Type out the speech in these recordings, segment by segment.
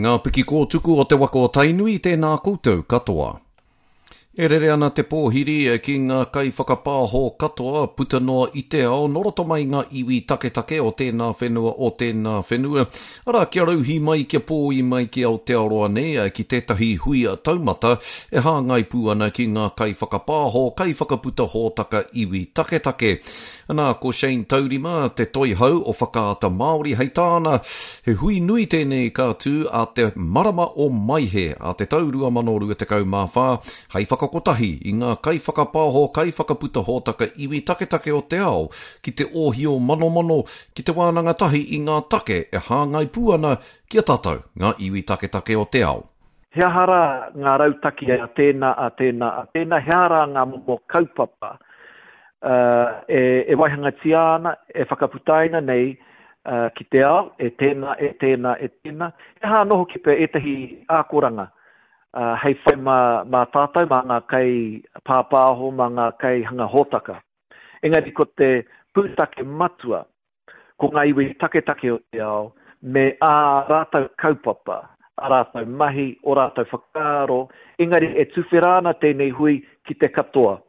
Ngā piki kōtuku o te waka o Tainui, tēnā koutou katoa. E rere ana te pōhiri ki ngā kaiwhakapāho katoa puta noa i te ao nō roto mai ngā iwi taketake o tēnā whenua o tēnā whenua, arā kia rauhī mai kia pōi mai ki Aotearoa nei ki tētahi hui taumata e hāngai pū ana ki ngā kaiwhakapāho, kaiwhakaputa hōtaka iwi taketake. Anā, ko Shane Taurima te toihau o Whakaata Māori, hei tāna, he hui nui tēnei ka tū a te marama o Maehe a te tau 2024 hei whakakotahi i ngā kaiwhakapaoho, kaiwhakaputa hōtaka iwi taketake o te ao ki te ōhio manomano, ki te wānanga tahi i ngā take e hāngai pū ana ki a tātou, ngā iwi taketake o te ao. He aha rā ngā rautaki a tēnā, a tēnā, a tēnā, he aha rā ngā momo kaupapa e waihangatia ana, e whakaputaina nei ki te ao, e tēnā, e tēnā, e tēnā. He aha anō hoki pea ētahi ākoranga hei whai mā, mā tātou, mā ngā kaipāpāho, mā ngā kaihanga hōtaka. Engari ko te pūtake matua, ko ngā iwi taketake o te ao me ā rātou kaupapa, ā rātou mahi, ō rātou whakaaro, engari e tuwhera ana tēnei hui ki te katoa.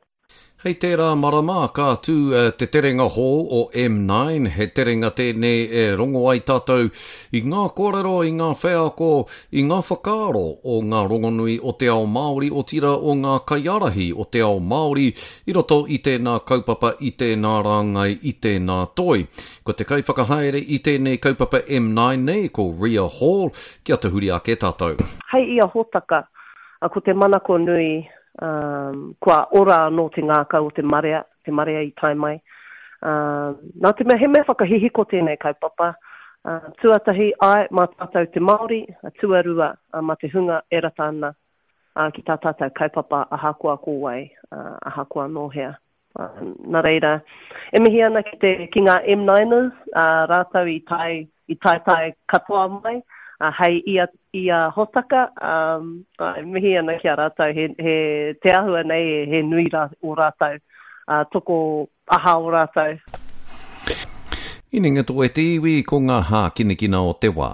Hei tērā marama ka tū te terenga hou o M9, he terenga tēnei e rongo ai tātou i ngā kōrero, i ngā wheako, i ngā whakaaro o ngā rongonui o te ao Māori, otirā o ngā kaiārahi o te ao Māori i roto i tēnā kaupapa, i tēnā rāngai, i tēnā toi. Ko te kaiwhakahaere i tēnei kaupapa M9 nei, ko Ria Hall, kia tahuri ake tātou. Hei ia hōtaka, ko te manako nui, kua ora anō te ngākau o te marea, te marea i tae mai. Nā te mea he mea whakahihiko tēnei kaupapa, tuatahi, āe, mā tātou te Māori, tuarua, mā te hunga e rata ana ki tā tātou kaupapa ahakoa ko wai, ahakoa nō hea. Nā reira, e mihi ana ki te, ki ngā M9ers, rātou i tae, i taetae katoa mai, hei ia, ia hotaka, āe, mihi ana ki a rātou, he, he, te āhua nei he nui rā, o rātou, toko aha o rātou. Inenga tō e te iwi, ko ngā hākinakina o te wā.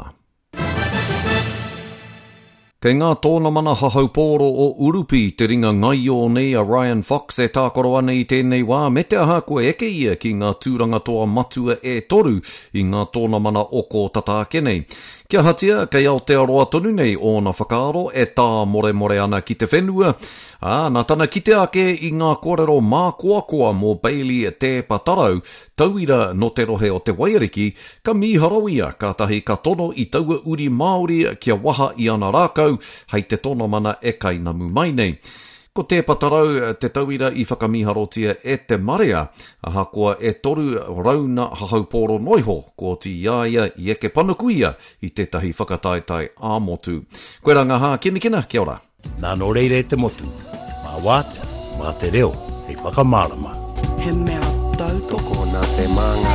Kei ngā tōnamana hahaupōro o Urupi te ringa ngaio nei a Ryan Fox e tākaro ana i tēnei wā, me te aha kua eke ia ki ngā tūranga toa matua e toru i ngā tōnamana o kō tata ake nei. Kia ahatia, kei Aotearoa tonu nei ōna whakaaro e tāmoremore ana ki te whenua, ā, nā tana kite ake i ngā kōrero mākoakoa mō Bailey Te Patarau, tauira nō te rohe o Te Waiariki, ka mīharo ia, kātahi ka tono i taua uri Māori kia waha i ana rākau hei te tonomana e kainamu mai nei. Ko Te Patarau te tauira i whakamīharotia e te marea, ahakoa e 300 hahaupōro noiho, kua oti i a ia i eke panuku ia i tētahi whakataetae ā-motu. Koirā ngā hākinakina, kia ora. Nā nō reira e te motu, mā Wātea, mā te reo hei whakamārama. He mea tautoko. Tokona te māngai.